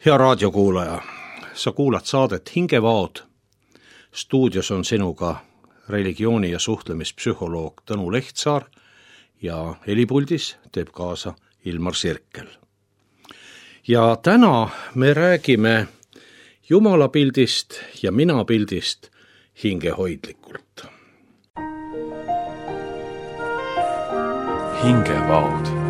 Hea raadiokuulaja, sa kuulad saadet Hingevaod. Stuudios on sinuga religiooni- ja suhtlemispsühholoog Tõnu Lehtsaar ja helipuldis teeb kaasa Ilmar Sirkel. Ja täna me räägime jumalapildist ja minapildist hingehoidlikult. Hingevaod.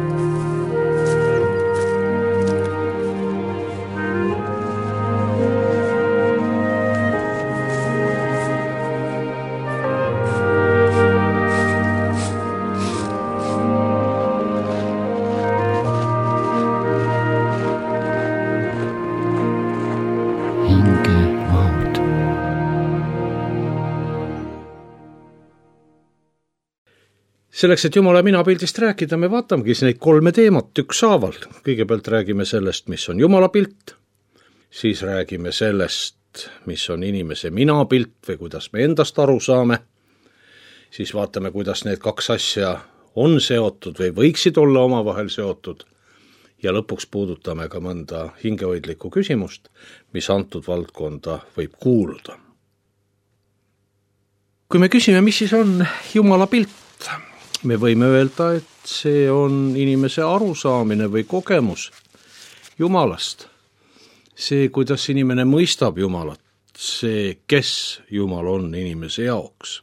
Selleks, et Jumala minapildist rääkida, me vaatamegi neid 3 teemat ükshaaval. Kõigepealt räägime sellest, mis on Jumala pilt, siis räägime sellest, mis on inimese minapilt või kuidas me endast aru saame, siis vaatame, kuidas need 2 asja on seotud või võiksid olla omavahel seotud ja lõpuks puudutame ka mõnda hingehoidlikku küsimust, mis antud valdkonda võib kuuluda. Kui me küsime, mis siis on Jumala pilt, me võime öelda, et see on inimese arusaamine või kogemus Jumalast. See, kuidas inimene mõistab Jumalat, see, kes Jumal on inimese jaoks.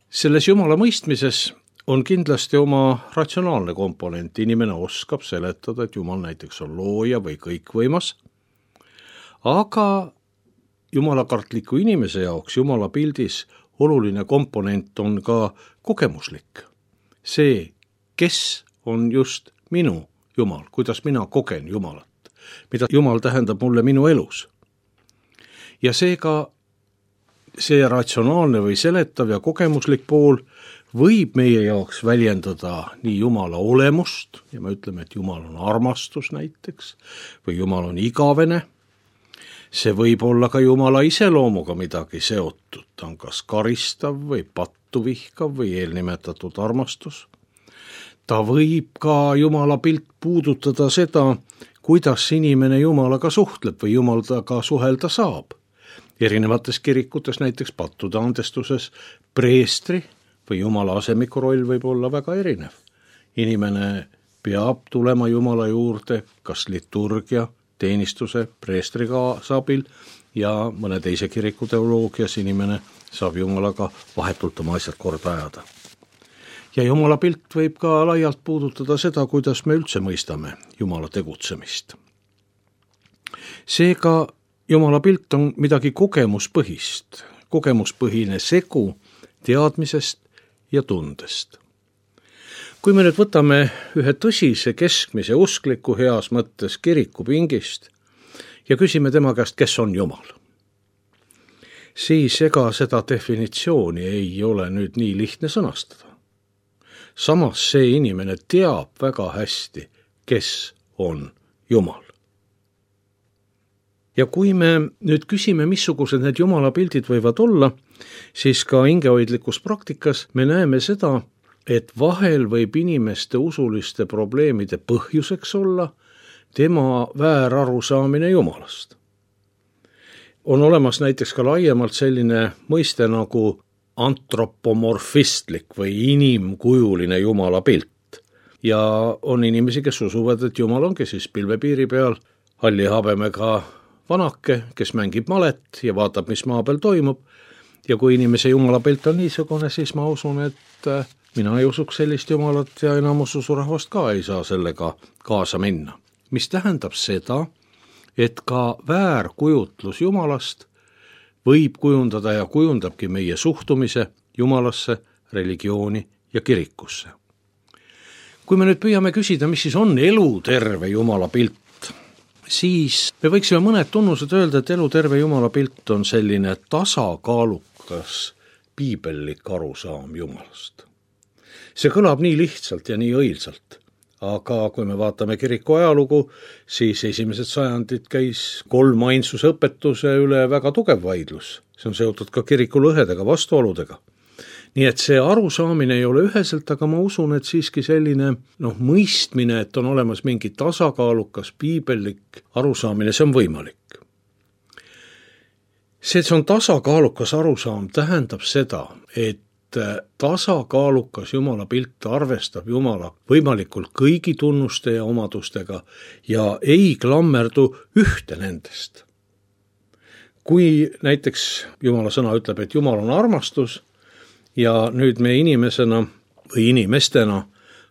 Selles Jumala mõistmises on kindlasti oma ratsionaalne komponent. Inimene oskab seletada, et Jumal näiteks on looja või kõikvõimas, aga jumalakartliku inimese jaoks Jumala pildis oluline komponent on ka kogemuslik. See, kes on just minu Jumal, kuidas mina kogen Jumalat, mida Jumal tähendab mulle minu elus. Ja seega see ratsionaalne või seletav ja kogemuslik pool võib meie jaoks väljendada nii Jumala olemust, ja me ütleme, et Jumal on armastus näiteks, või Jumal on igavene. See võib olla ka Jumala iseloomuga midagi seotud, ta on kas karistav või pattu vihkav või eelnimetatud armastus. Ta võib ka Jumala pilt puudutada seda, kuidas inimene Jumalaga suhtleb või Jumal taga suhelda saab. Erinevates kirikutes, näiteks pattude andestuses, preestri või Jumala asemiku roll võib olla väga erinev. Inimene peab tulema Jumala juurde, kas liturgia, teenistuse, preestri kaasabil ja mõne teise kiriku teoloogias inimene saab Jumalaga vahetult oma asjad korda ajada. Ja Jumala pilt võib ka laialt puudutada seda, kuidas me üldse mõistame Jumala tegutsemist. Seega Jumala pilt on midagi kogemuspõhine segu teadmisest ja tundest. Kui me nüüd võtame ühe tõsise keskmise uskliku heas mõttes kirikupingist ja küsime tema käest, kes on Jumal, siis ega seda definitsiooni ei ole nüüd nii lihtne sõnastada. Samas see inimene teab väga hästi, kes on Jumal. Ja kui me nüüd küsime, missugused need Jumala pildid võivad olla, siis ka hingehoidlikus praktikas me näeme seda, et vahel võib inimeste usuliste probleemide põhjuseks olla tema väärarusaamine Jumalast. On olemas näiteks ka laiemalt selline mõiste nagu antropomorfistlik või inimkujuline Jumala pilt. Ja on inimesi, kes usuvad, et Jumal ongi siis pilvepiiri peal halli habemega vanake, kes mängib malet ja vaatab, mis maa peal toimub. Ja kui inimese Jumala pilt on niisugune, siis ma usun, et mina ei usuks sellist Jumalat ja enamus usurahvast ka ei saa sellega kaasa minna. Mis tähendab seda, et ka väärkujutlus Jumalast võib kujundada ja kujundabki meie suhtumise Jumalasse, religiooni ja kirikusse. Kui me nüüd püüame küsida, mis siis on eluterve Jumala pilt, siis me võiksime mõned tunnused öelda, et eluterve Jumala pilt on selline tasakaalukas piibellik arusaam Jumalast. See kõlab nii lihtsalt ja nii õilsalt, aga kui me vaatame kiriku ajalugu, siis esimesed sajandid käis 3 ainsuse õpetuse üle väga tugev vaidlus. See on seotud ka kiriku lõhedega, vastuoludega. nii et see arusaamine ei ole üheselt, aga ma usun, et siiski selline mõistmine, et on olemas mingi tasakaalukas piibellik arusaamine, see on võimalik. See, et see on tasakaalukas arusaam, tähendab seda, et tasakaalukas Jumala pilt arvestab Jumala võimalikult kõigi tunnuste ja omadustega ja ei klammerdu ühte nendest. Kui näiteks Jumala sõna ütleb, et Jumal on armastus ja nüüd me inimesena või inimestena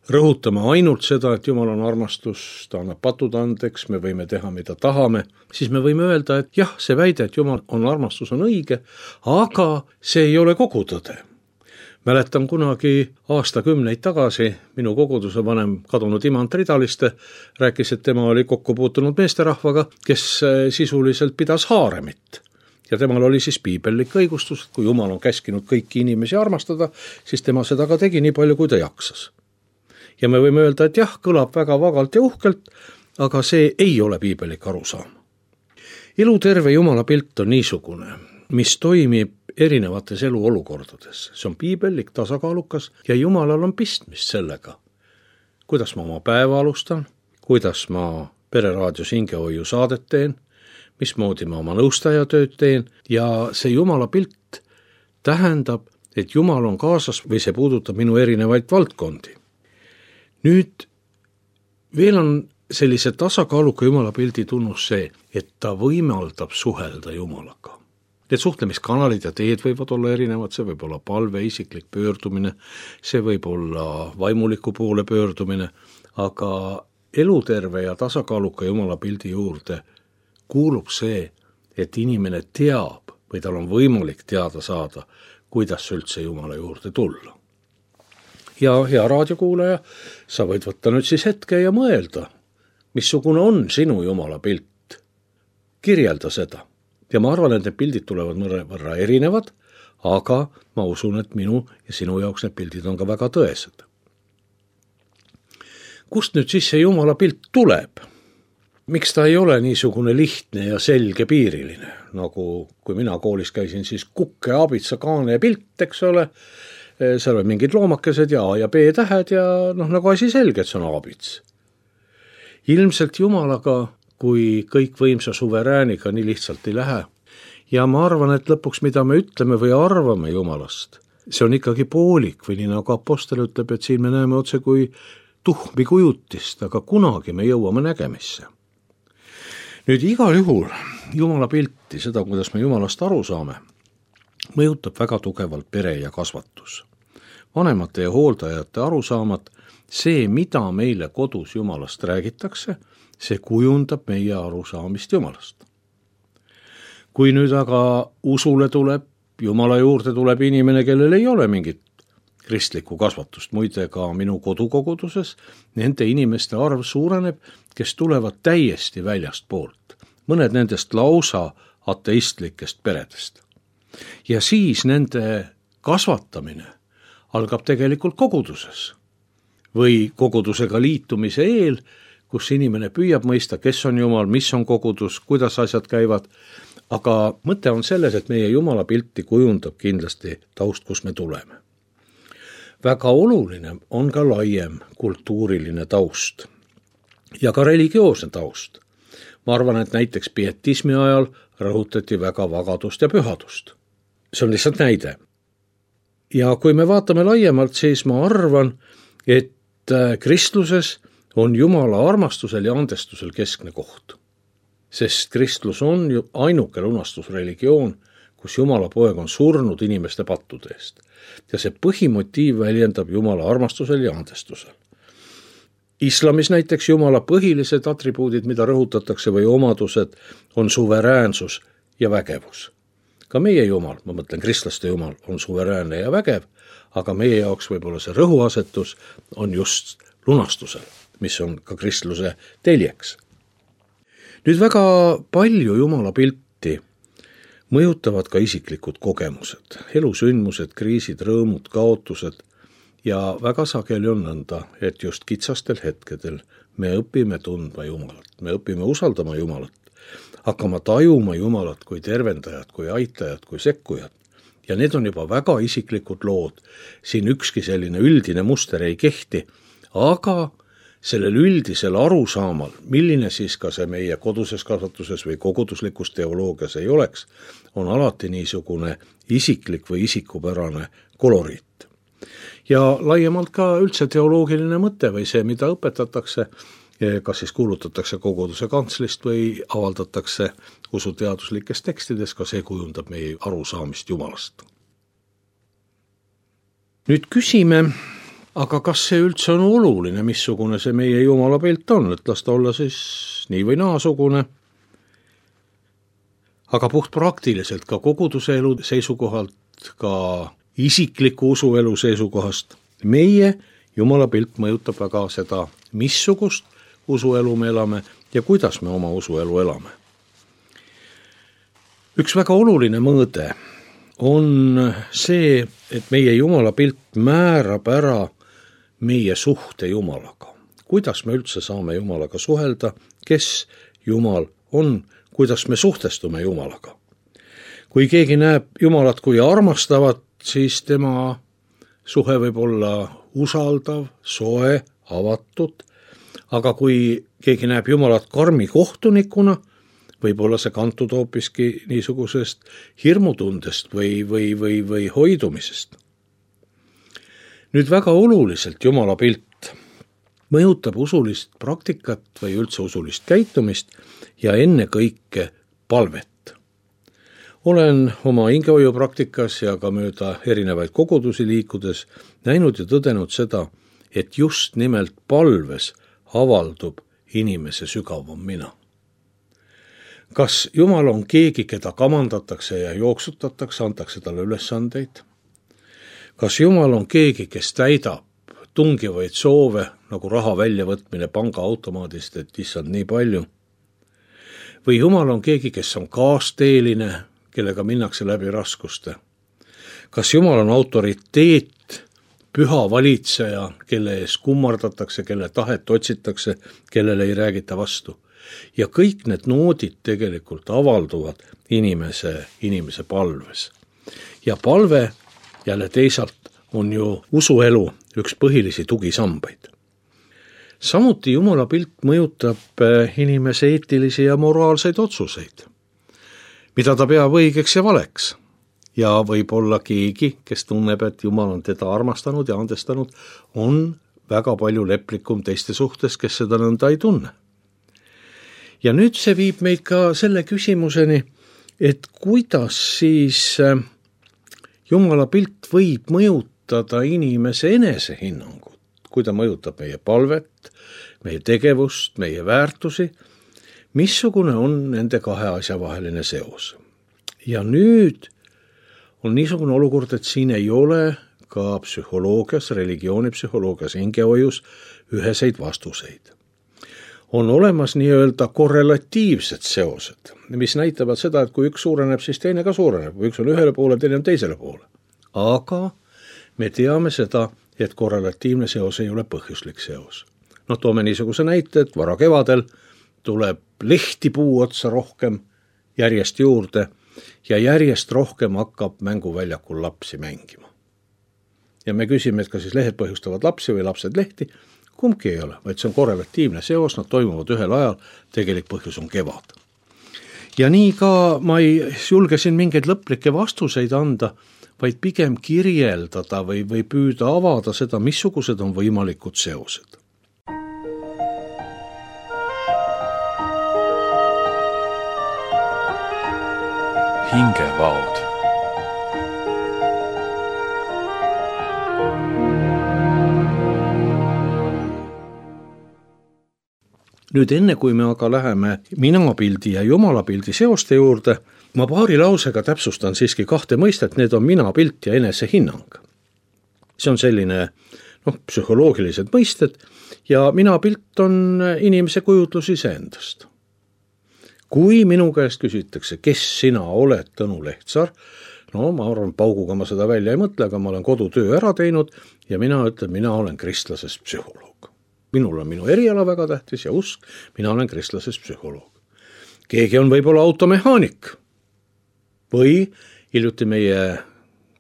rõhutame ainult seda, et Jumal on armastus, ta annab patud andeks, me võime teha, mida tahame, siis me võime öelda, et jah, see väide, et Jumal on armastus, on õige, aga see ei ole kogu tõde. Mäletan kunagi aastakümneid tagasi minu koguduse vanem kadunud Imant Ridaliste rääkis, et tema oli kokku puutunud meesterahvaga, kes sisuliselt pidas haaremit. Ja temal oli siis piibellik õigustus, et kui Jumal on käskinud kõiki inimesi armastada, siis tema seda ka tegi nii palju, kui ta jaksas. Ja me võime öelda, et jah, kõlab väga vagalt ja uhkelt, aga see ei ole piibellik arusaam. Eluterve Jumala pilt on niisugune, mis toimib erinevates eluolukordades. See on piibellik, tasakaalukas ja Jumalal on pistmist sellega. Kuidas ma oma päeva alustan, kuidas ma Pereraadios hingehoiu saadet teen, mismoodi ma oma nõustajatööd teen ja see Jumala pilt tähendab, et Jumal on kaasas või see puudutab minu erinevaid valdkondi. Nüüd veel on sellise tasakaaluka Jumala pildi tunnus see, et ta võimaldab suhelda Jumalaga. Need suhtlemiskanalid ja teed võivad olla erinevad, see võib olla palve, isiklik pöördumine, see võib olla vaimuliku poole pöördumine, aga eluterve ja tasakaaluka Jumala pildi juurde kuulub see, et inimene teab või tal on võimalik teada saada, kuidas üldse Jumala juurde tulla. Ja hea raadiokuulaja, sa võid võtta nüüd siis hetke ja mõelda, missugune on sinu Jumala pilt. Kirjelda seda. Ja ma arvan, et need pildid tulevad mõnevõrra erinevad, aga ma usun, et minu ja sinu jaoks need pildid on ka väga tõesed. Kust nüüd siis see Jumala pilt tuleb? Miks ta ei ole niisugune lihtne ja selge piiriline, nagu kui mina koolis käisin, siis kukke, abitsa, kaane ja pilt, eks ole, seal on mingid loomakesed ja A ja B tähed ja nagu asi selge, et see on abits. Ilmselt Jumalaga, kui kõikvõimsa suverääniga nii lihtsalt ei lähe. Ja ma arvan, et lõpuks, mida me ütleme või arvame Jumalast, see on ikkagi poolik või nii nagu apostel ütleb, et siin me näeme otse kui tuhmi kujutist, aga kunagi me jõuame nägemisse. Nüüd igal juhul Jumala pilti, seda, kuidas me Jumalast aru saame, mõjutab väga tugevalt pere ja kasvatus. Vanemate ja hooldajate arusaamad, see, mida meile kodus Jumalast räägitakse, see kujundab meie arusaamist Jumalast. Kui nüüd aga usule tuleb, Jumala juurde tuleb inimene, kellel ei ole mingit kristlikku kasvatust, muide ka minu kodukoguduses, nende inimeste arv suureneb, kes tulevad täiesti väljast poolt. Mõned nendest lausa ateistlikest peredest. Ja siis nende kasvatamine algab tegelikult koguduses või kogudusega liitumise eel, kus inimene püüab mõista, kes on Jumal, mis on kogudus, kuidas asjad käivad, aga mõte on selles, et meie Jumala pilti kujundab kindlasti taust, kus me tuleme. Väga oluline on ka laiem kultuuriline taust ja ka religioosne taust. Ma arvan, et näiteks pietismi ajal rõhutati väga vagadust ja pühadust. See on lihtsalt näide. Ja kui me vaatame laiemalt, siis ma arvan, et kristluses on Jumala armastusel ja andestusel keskne koht. Sest kristlus on ju ainuke lunastusreligioon, kus Jumala poeg on surnud inimeste pattude eest. Ja see põhimotiiv väljendab Jumala armastusel ja andestusel. Islamis näiteks Jumala põhilised atribuudid, mida rõhutatakse või omadused, on suveräänsus ja vägevus. Ka meie Jumal, ma mõtlen kristlaste Jumal, on suveräänne ja vägev, aga meie jaoks võib-olla see rõhuasetus on just lunastusel, mis on ka kristluse teljeks. Nüüd väga palju Jumala pilti mõjutavad ka isiklikud kogemused, elusündmused, kriisid, rõõmud, kaotused ja väga sageli on nõnda, et just kitsastel hetkedel me õpime tundma Jumalat, me õpime usaldama Jumalat, hakkama tajuma Jumalat kui tervendajat, kui aitajat, kui sekkujat ja need on juba väga isiklikud lood. Siin ükski selline üldine muster ei kehti, aga sellel üldisel arusaamal, milline siis ka see meie koduses kasvatuses või koguduslikus teoloogias ei oleks, on alati niisugune isiklik või isikupärane koloriit. Ja laiemalt ka üldse teoloogiline mõte või see, mida õpetatakse, kas siis kuulutatakse koguduse kantslist või avaldatakse usuteaduslikes tekstides, ka see kujundab meie arusaamist Jumalast. Nüüd küsime, aga kas see üldse on oluline, missugune see meie Jumala pilt on, et las ta olla siis nii või naasugune. Aga puhtpraktiliselt ka koguduse elu seisukohalt, ka isikliku usuelu seisukohast, meie Jumala pilt mõjutab väga seda, missugust usuelu me elame ja kuidas me oma usuelu elame. Üks väga oluline mõõde on see, et meie Jumala pilt määrab ära meie suhte Jumalaga. Kuidas me üldse saame Jumalaga suhelda, kes Jumal on, kuidas me suhtestume Jumalaga. Kui keegi näeb Jumalat kui armastavat, siis tema suhe võib olla usaldav, soe, avatud, aga kui keegi näeb Jumalat karmi kohtunikuna, võib olla see kantud hoopiski niisugusest hirmutundest või hoidumisest. Nüüd väga oluliselt Jumala pilt mõjutab usulist praktikat või üldse usulist käitumist ja ennekõike palvet. Olen oma hingehoiu praktikas ja ka mööda erinevaid kogudusi liikudes näinud ja tõdenud seda, et just nimelt palves avaldub inimese sügavam mina. Kas Jumal on keegi, keda kamandatakse ja jooksutatakse, antakse talle ülesandeid? Kas Jumal on keegi, kes täidab tungivaid soove, nagu raha väljavõtmine pangaautomaadist, et issand nii palju? Või Jumal on keegi, kes on kaasteeline, kellega minnakse läbi raskuste? Kas Jumal on autoriteet, püha valitseja, kelle ees kummardatakse, kelle tahet otsitakse, kellele ei räägita vastu? Ja kõik need noodid tegelikult avalduvad inimese palves. Ja palve jälle teisalt on ju usuelu üks põhilisi tugisambaid. Samuti Jumala pilt mõjutab inimese eetilisi ja moraalseid otsuseid, mida ta peab õigeks ja valeks. Ja võib olla keegi, kes tunneb, et Jumal on teda armastanud ja andestanud, on väga palju leplikum teiste suhtes, kes seda nõnda ei tunne. Ja nüüd see viib meid ka selle küsimuseni, et kuidas siis Jumala pilt võib mõjutada inimese enesehinnangut, kui ta mõjutab meie palvet, meie tegevust, meie väärtusi, missugune on nende kahe asja vaheline seos. Ja nüüd on niisugune olukord, et siin ei ole ka psühholoogias, religioonipsühholoogias, hingehoius üheseid vastuseid. On olemas nii-öelda korrelatiivsed seosed, mis näitavad seda, et kui üks suureneb, siis teine ka suureneb, kui üks on ühele poole, teine on teisele poole. Aga me teame seda, et korrelatiivne seos ei ole põhjuslik seos. Toome niisuguse näite, et vara kevadel tuleb lehti puu otsa rohkem järjest juurde ja järjest rohkem hakkab mänguväljakul lapsi mängima. Ja me küsime, et kas siis lehed põhjustavad lapsi või lapsed lehti, kumbki ei ole, vaid see on korrelatiivne seos, nad toimuvad ühel ajal, tegelik põhjus on kevad. Ja nii ka ma ei julge siin mingeid lõplikke vastuseid anda, vaid pigem kirjeldada või püüda avada seda, missugused on võimalikud seosed. Hingevaod. Nüüd enne, kui me aga läheme minapildi ja jumalapildi seoste juurde, ma paari lausega täpsustan siiski kahte mõistet, need on minapilt ja enesehinnang. See on selline psühholoogilised mõisted ja minapilt on inimese kujutlus iseendast. Kui minu käest küsitakse, kes sina oled, Tõnu Lehtsaar, ma arvan, pauguga ma seda välja ei mõtle, aga ma olen kodutöö ära teinud ja mina ütlen, mina olen kristlasest psühholoog. Minul on minu eriala väga tähtis ja usk, mina olen kristlasest psühholoog. Keegi on võib-olla automehaanik või hiljuti meie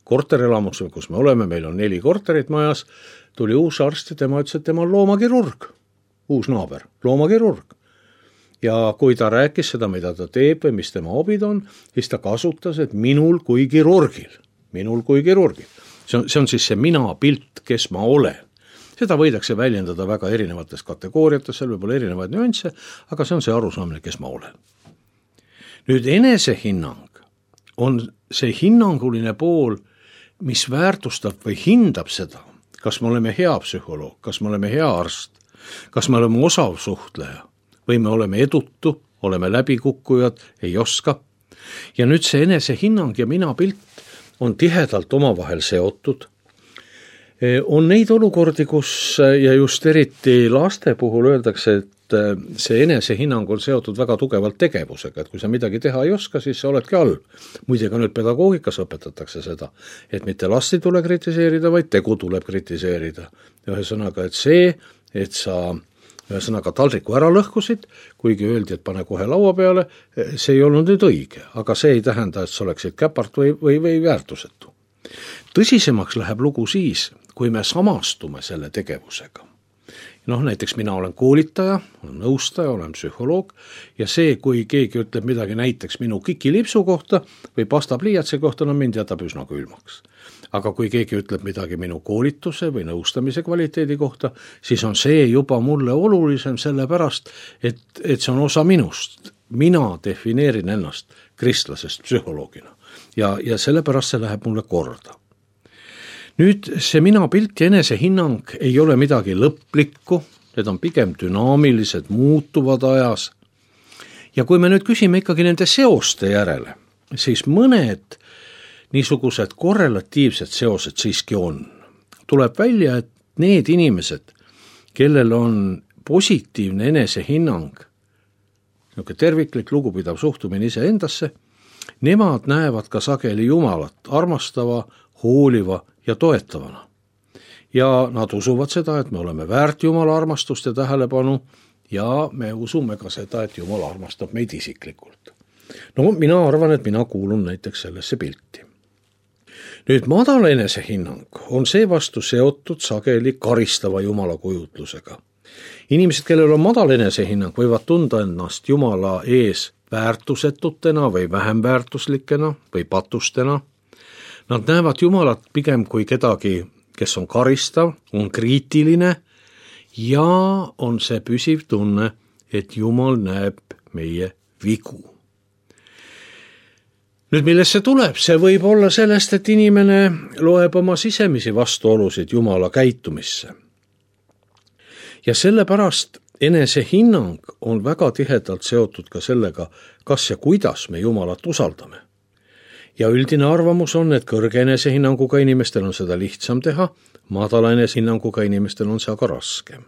korterelamus, kus me oleme, meil on 4 korterit majas, tuli uus arst ja tema ütles, et tema on loomakirurg, uus naaber, loomakirurg. Ja kui ta rääkis seda, mida ta teeb või mis tema hobid on, siis ta kasutas, et minul kui kirurgil. See on siis see mina pilt, kes ma olen. Seda võidakse väljendada väga erinevates kategooriates, seal võib olla erinevaid nüansse, aga see on see arusaamine, kes ma olen. Nüüd enesehinnang on see hinnanguline pool, mis väärtustab või hindab seda, kas me oleme hea psühholoog, kas me oleme hea arst, kas me oleme osav suhtleja või me oleme edutu, oleme läbikukkujad, ei oska. Ja nüüd see enesehinnang ja mina pilt on tihedalt omavahel seotud. On neid olukordi, kus ja just eriti laste puhul öeldakse, et see enesehinnang on seotud väga tugevalt tegevusega, et kui sa midagi teha ei oska, siis sa oledki halb. Muide ka nüüd pedagoogikas õpetatakse seda, et mitte last ei tule kritiseerida, vaid tegu tuleb kritiseerida. Ühesõnaga, et see, et sa taldriku ära lõhkusid, kuigi öeldi, et pane kohe laua peale, see ei olnud nüüd õige, aga see ei tähenda, et sa oleksid käpart või väärtusetu. Tõsisemaks läheb lugu siis, kui me samastume selle tegevusega. Näiteks mina olen koolitaja, olen nõustaja, olen psühholoog ja see, kui keegi ütleb midagi näiteks minu kikilipsu kohta või pastapliiatsi kohta, mind jätab üsna külmaks. Aga kui keegi ütleb midagi minu koolituse või nõustamise kvaliteedi kohta, siis on see juba mulle olulisem sellepärast, et see on osa minust. Mina defineerin ennast kristlasest psühholoogina ja sellepärast see läheb mulle korda. Nüüd see mina pilt ja enesehinnang ei ole midagi lõplikku, need on pigem dünaamilised, muutuvad ajas. Ja kui me nüüd küsime ikkagi nende seoste järele, siis mõned niisugused korrelatiivsed seosed siiski on. Tuleb välja, et need inimesed, kellel on positiivne enesehinnang, terviklik lugupidav suhtumine iseendasse, nemad näevad ka sageli Jumalat armastava, hooliva ja toetavana. Ja nad usuvad seda, et me oleme väärt Jumala armastust ja tähelepanu ja me usume ka seda, et Jumal armastab meid isiklikult. Mina arvan, et mina kuulun näiteks sellesse pilti. Nüüd madal enesehinnang on seevastu seotud sageli karistava Jumala kujutlusega. Inimesed, kellel on madal enesehinnang, võivad tunda ennast Jumala ees väärtusetutena või vähem väärtuslikena või patustena. Nad näevad Jumalat pigem kui kedagi, kes on karistav, on kriitiline ja on see püsiv tunne, et Jumal näeb meie vigu. Nüüd millest see tuleb? See võib olla sellest, et inimene loeb oma sisemisi vastuolusid Jumala käitumisse. Ja sellepärast enesehinnang on väga tihedalt seotud ka sellega, kas ja kuidas me Jumalat usaldame. Ja üldine arvamus on, et kõrge enesehinnanguga inimestel on seda lihtsam teha, madala enesehinnanguga inimestel on see aga raskem.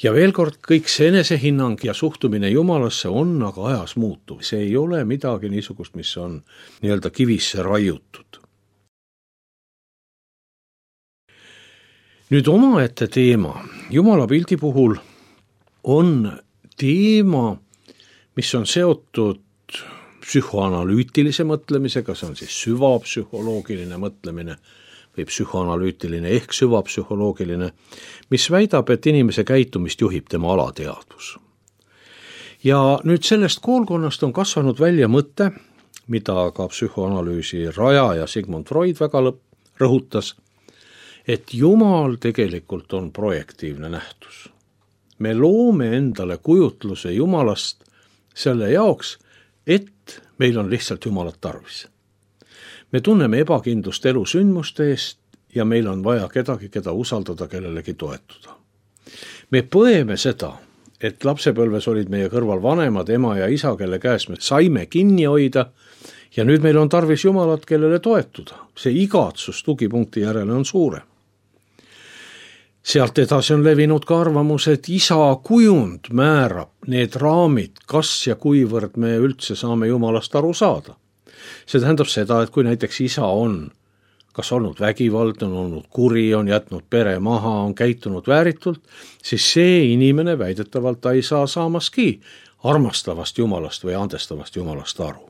Ja veel kord, kõik see enesehinnang ja suhtumine Jumalasse on aga ajas muutuv. See ei ole midagi niisugust, mis on nii-öelda kivisse raiutud. Nüüd omaette teema. Jumala pildi puhul on teema, mis on seotud psühhoanalüütilise mõtlemisega, see on siis süvapsühholoogiline mõtlemine või psühhoanalüütiline ehk süvapsühholoogiline, mis väidab, et inimese käitumist juhib tema alateadvus. Ja nüüd sellest koolkonnast on kasvanud välja mõte, mida ka psühhoanalüüsi rajaja Sigmund Freud väga rõhutas, et Jumal tegelikult on projektiivne nähtus. Me loome endale kujutluse Jumalast selle jaoks, et meil on lihtsalt Jumalat tarvis. Me tunneme ebakindlust elusündmuste eest ja meil on vaja kedagi, keda usaldada, kellelegi toetuda. Me põeme seda, et lapsepõlves olid meie kõrval vanemad, ema ja isa, kelle käes me saime kinni hoida ja nüüd meil on tarvis Jumalat, kellele toetuda. See igatsus tugipunkti järele on suure. Sealt edasi on levinud ka arvamus, et isa kujund määrab need raamid, kas ja kuivõrd me üldse saame Jumalast aru saada. See tähendab seda, et kui näiteks isa on kas olnud vägivald, on olnud kuri, on jätnud pere maha, on käitunud vääritult, siis see inimene väidetavalt ta ei saa saamaski armastavast Jumalast või andestavast Jumalast aru.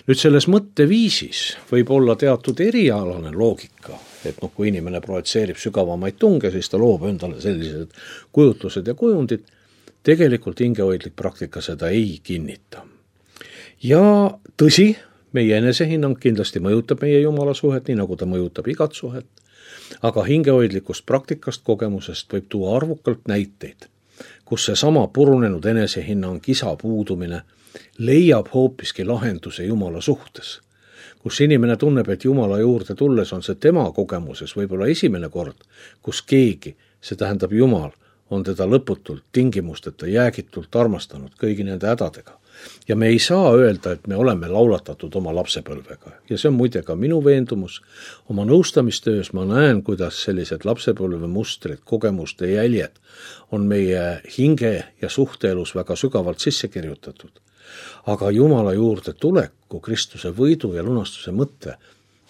Nüüd selles mõtteviisis võib olla teatud erialane loogika, et kui inimene projitseerib sügavamaid tunge, siis ta loob endale sellised kujutlused ja kujundid. Tegelikult hingehoidlik praktika seda ei kinnita. Ja tõsi, meie enesehinnang kindlasti mõjutab meie Jumala suhet, nii nagu ta mõjutab igat suhet, aga hingehoidlikust praktikast, kogemusest võib tuua arvukalt näiteid, kus seesama purunenud enesehinnang, isa puudumine leiab hoopiski lahenduse Jumala suhtes, kus inimene tunneb, et Jumala juurde tulles on see tema kogemuses võib-olla esimene kord, kus keegi, see tähendab Jumal, on teda lõputult, tingimusteta, jäägitult armastanud kõigi nende hädadega. Ja me ei saa öelda, et me oleme laulatatud oma lapsepõlvega. Ja see on muide ka minu veendumus. Oma nõustamistöös ma näen, kuidas sellised lapsepõlve mustrid, kogemuste jäljed on meie hinge ja suhteelus väga sügavalt sisse kirjutatud. Aga Jumala juurde tuleku, Kristuse võidu ja lunastuse mõtte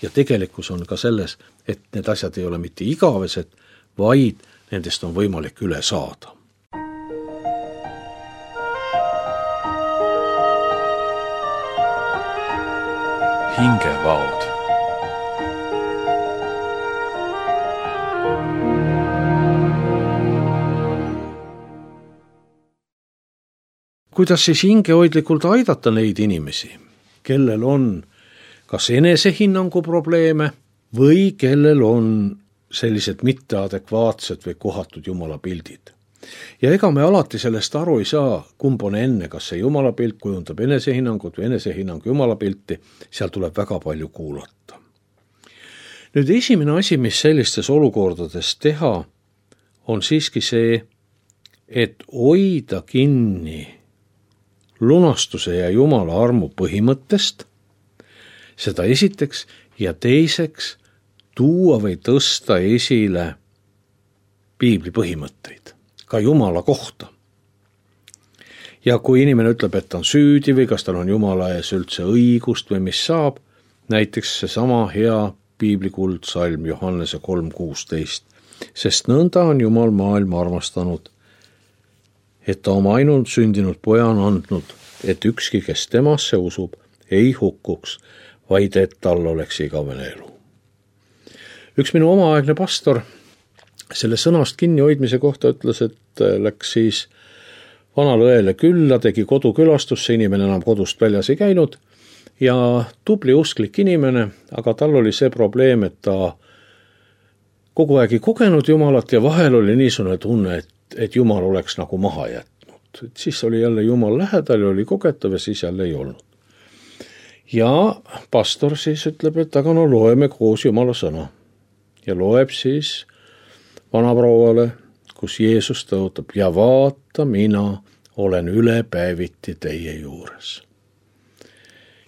ja tegelikkus on ka selles, et need asjad ei ole mitte igavesed, vaid nendest on võimalik üle saada. Hingevaod. Kuidas siis hingehoidlikult aidata neid inimesi, kellel on kas enesehinnangu probleeme või kellel on sellised mitteadekvaatsed või kohatud Jumala pildid. Ja ega me alati sellest aru ei saa, kumb on enne, kas see Jumala pilt kujundab enesehinnangut või enesehinnang Jumala pilti, seal tuleb väga palju kuulata. Nüüd esimene asi, mis sellistes olukordades teha, on siiski see, et hoida kinni lunastuse ja Jumala armu põhimõttest, seda esiteks, ja teiseks tuua või tõsta esile piibli põhimõtteid, ka Jumala kohta. Ja kui inimene ütleb, et ta on süüdi või kas tal on Jumala ees üldse õigust või mis saab, näiteks seesama hea piibli kuldsalm Johannese 3:16, sest nõnda on Jumal maailma armastanud, et ta oma ainult sündinud poja on andnud, et ükski, kes temasse usub, ei hukkuks, vaid et tal oleks igavene elu. Üks minu omaaegne pastor selle sõnast kinnihoidmise kohta ütles, et läks siis vanale õele külla, tegi kodukülastusse, inimene enam kodust väljas ei käinud ja tubli usklik inimene, aga tal oli see probleem, et ta kogu aeg ei kogenud Jumalat ja vahel oli niisugune tunne, et Jumal oleks nagu maha jätnud. Et siis oli jälle Jumal lähedal ja oli kogetav ja siis jälle ei olnud. Ja pastor siis ütleb, et aga loeme koos Jumala sõna. Ja loeb siis vanaprouale, kus Jeesus tõotab, ja vaata, mina olen ülepäeviti teie juures.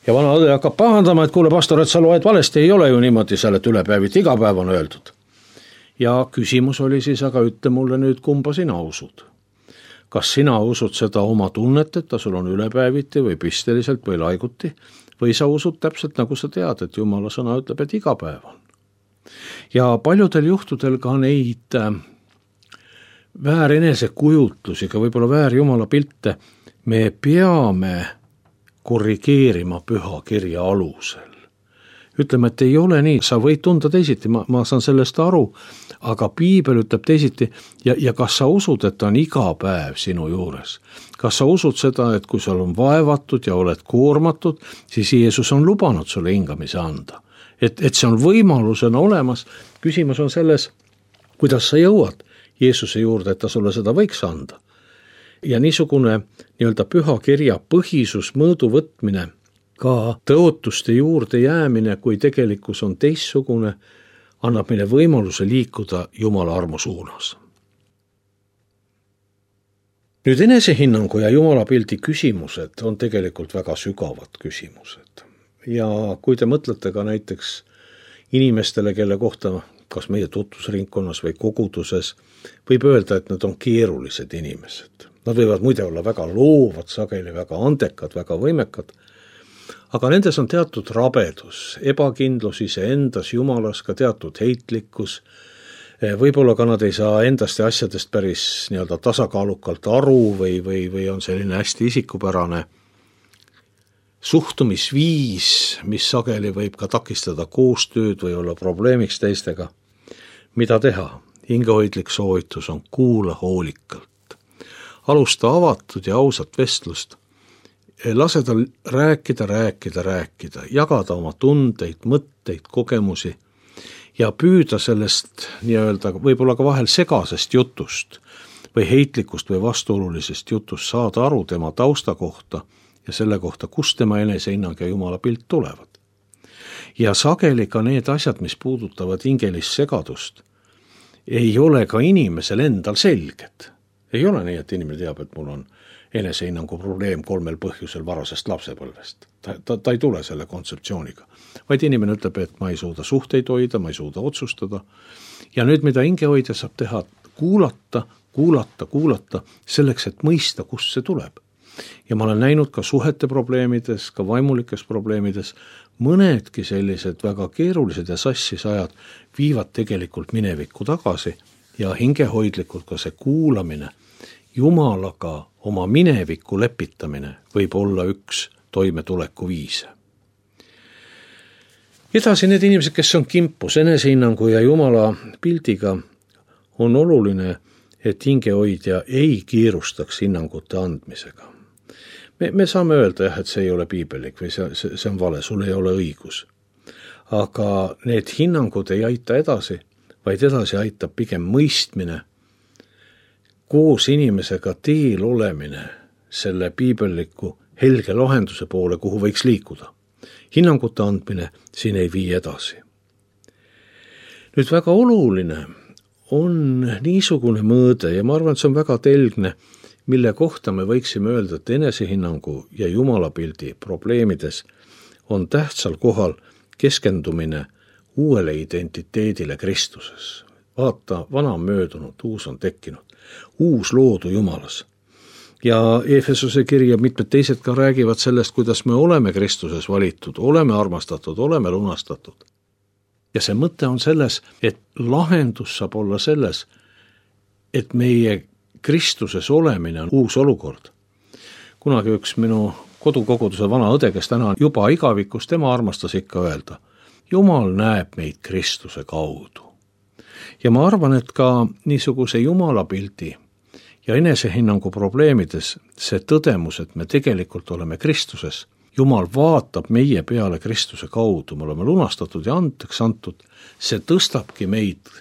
Ja vana õde hakkab pahandama, et kuule pastor, et sa loed valesti, ei ole ju niimoodi seal, et ülepäeviti iga päev on öeldud. Ja küsimus oli siis, aga ütle mulle nüüd, kumba sina usud. Kas sina usud seda oma tunnet, et ta sul on ülepäeviti või pisteliselt või laiguti, või sa usud täpselt nagu sa tead, et Jumala sõna ütleb, et iga päev on. Ja paljudel juhtudel ka neid väärenesekujutlusi, ka võib-olla väär Jumala pilte, me peame korrigeerima püha kirja alusel. Ütleme, et ei ole nii, sa võid tunda teisiti, ma saan sellest aru, aga piibel ütleb teisiti ja kas sa usud, et ta on iga päev sinu juures? Kas sa usud seda, et kui sul on vaevatud ja oled koormatud, siis Jeesus on lubanud sulle hingamise anda? Et see on võimalusena olemas, küsimus on selles, kuidas sa jõuad Jeesuse juurde, et ta sulle seda võiks anda. Ja niisugune nii-öelda püha kirja põhisus, mõõdu võtmine, ka tõotuste juurde jäämine, kui tegelikkus on teistsugune, annab meile võimaluse liikuda Jumala armu suunas. Nüüd enesehinnangu ja Jumala pildi küsimused on tegelikult väga sügavad küsimused. Ja kui te mõtlete ka näiteks inimestele, kelle kohta kas meie tutvusringkonnas või koguduses, võib öelda, et nad on keerulised inimesed. Nad võivad muide olla väga loovad, sageli väga andekad, väga võimekad, aga nendes on teatud rabedus, ebakindlus iseendas, Jumalas, ka teatud heitlikkus. Võib-olla ka nad ei saa endast ja asjadest päris nii-öelda tasakaalukalt aru või on selline hästi isikupärane. suhtumisviis, mis sageli võib ka takistada koostööd või olla probleemiks teistega. Mida teha? Hingehoidlik soovitus on kuula hoolikalt. Alusta avatud ja ausat vestlust. Lase tal rääkida, jagada oma tundeid, mõtteid, kogemusi ja püüda sellest nii-öelda võib-olla ka vahel segasest jutust või heitlikust või vastuolulisest jutust saada aru tema tausta kohta ja selle kohta, kust tema enesehinnang ja Jumala pilt tulevad. Ja sageli ka need asjad, mis puudutavad hingelist segadust, ei ole ka inimesel endal selged. Ei ole nii, et inimene teab, et mul on enesehinnangu probleem 3 põhjusel varasest lapsepõlvest. Ta ei tule selle kontseptsiooniga. Vaid inimene ütleb, et ma ei suuda suhteid hoida, ma ei suuda otsustada. Ja nüüd, mida hingehoidja saab teha, kuulata, selleks, et mõista, kust see tuleb. Ja ma olen näinud ka suhete probleemides, ka vaimulikes probleemides, mõnedki sellised väga keerulised ja sassis ajad viivad tegelikult minevikku tagasi ja hingehoidlikult ka see kuulamine, Jumalaga oma minevikku lepitamine võib olla üks toimetuleku viise. Edasi need inimesed, kes on kimpus enesehinnangu ja Jumala pildiga, on oluline, et hingehoidja ei kiirustaks hinnangute andmisega. Me saame öelda, et see ei ole piibelik või see on vale, sul ei ole õigus. Aga need hinnangud ei aita edasi, vaid edasi aitab pigem mõistmine, koos inimesega teel olemine selle piibelliku helge lahenduse poole, kuhu võiks liikuda. Hinnangute andmine siin ei vii edasi. Nüüd väga oluline on niisugune mõõde ja ma arvan, et see on väga telgne, mille kohta me võiksime öelda, et enesehinnangu ja Jumalapildi probleemides on tähtsal kohal keskendumine uuele identiteedile Kristuses. Vaata, vana on möödunud, uus on tekkinud, uus loodu Jumalas. Ja Efesose kiri ja mitmed teised ka räägivad sellest, kuidas me oleme Kristuses valitud, oleme armastatud, oleme lunastatud. Ja see mõte on selles, et lahendus saab olla selles, et meie Kristuses olemine on uus olukord. Kunagi üks minu kodukoguduse vana õde, kes täna on juba igavikus, tema armastas ikka öelda, Jumal näeb meid Kristuse kaudu. Ja ma arvan, et ka niisuguse Jumalapildi ja enesehinnangu probleemides see tõdemus, et me tegelikult oleme Kristuses, Jumal vaatab meie peale Kristuse kaudu, me oleme lunastatud ja andeks antud, see tõstabki meid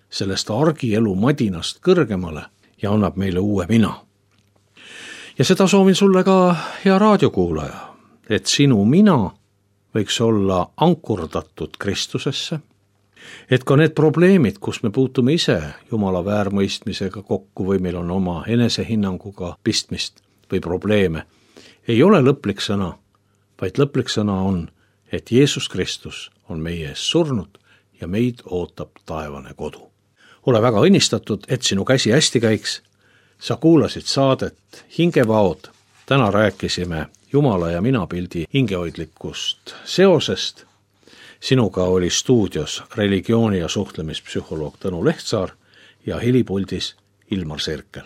sellest argielu madinast kõrgemale ja annab meile uue mina. Ja seda soovin sulle ka, hea raadiokuulaja, et sinu mina võiks olla ankurdatud Kristusesse, et ka need probleemid, kus me puutume ise Jumala väärmõistmisega kokku või meil on oma enesehinnanguga pistmist või probleeme, ei ole lõplik sõna, vaid lõplik sõna on, et Jeesus Kristus on meie ees surnud ja meid ootab taevane kodu. Ole väga õnnistatud, et sinu käsi hästi käiks. Sa kuulasid saadet Hingevaod. Täna rääkisime Jumala ja minapildi hingehoidlikust seosest. Sinuga oli stuudios religiooni- ja suhtlemispsühholoog Tõnu Lehtsaar ja helipuldis Ilmar Serkel.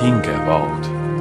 Hingevaod.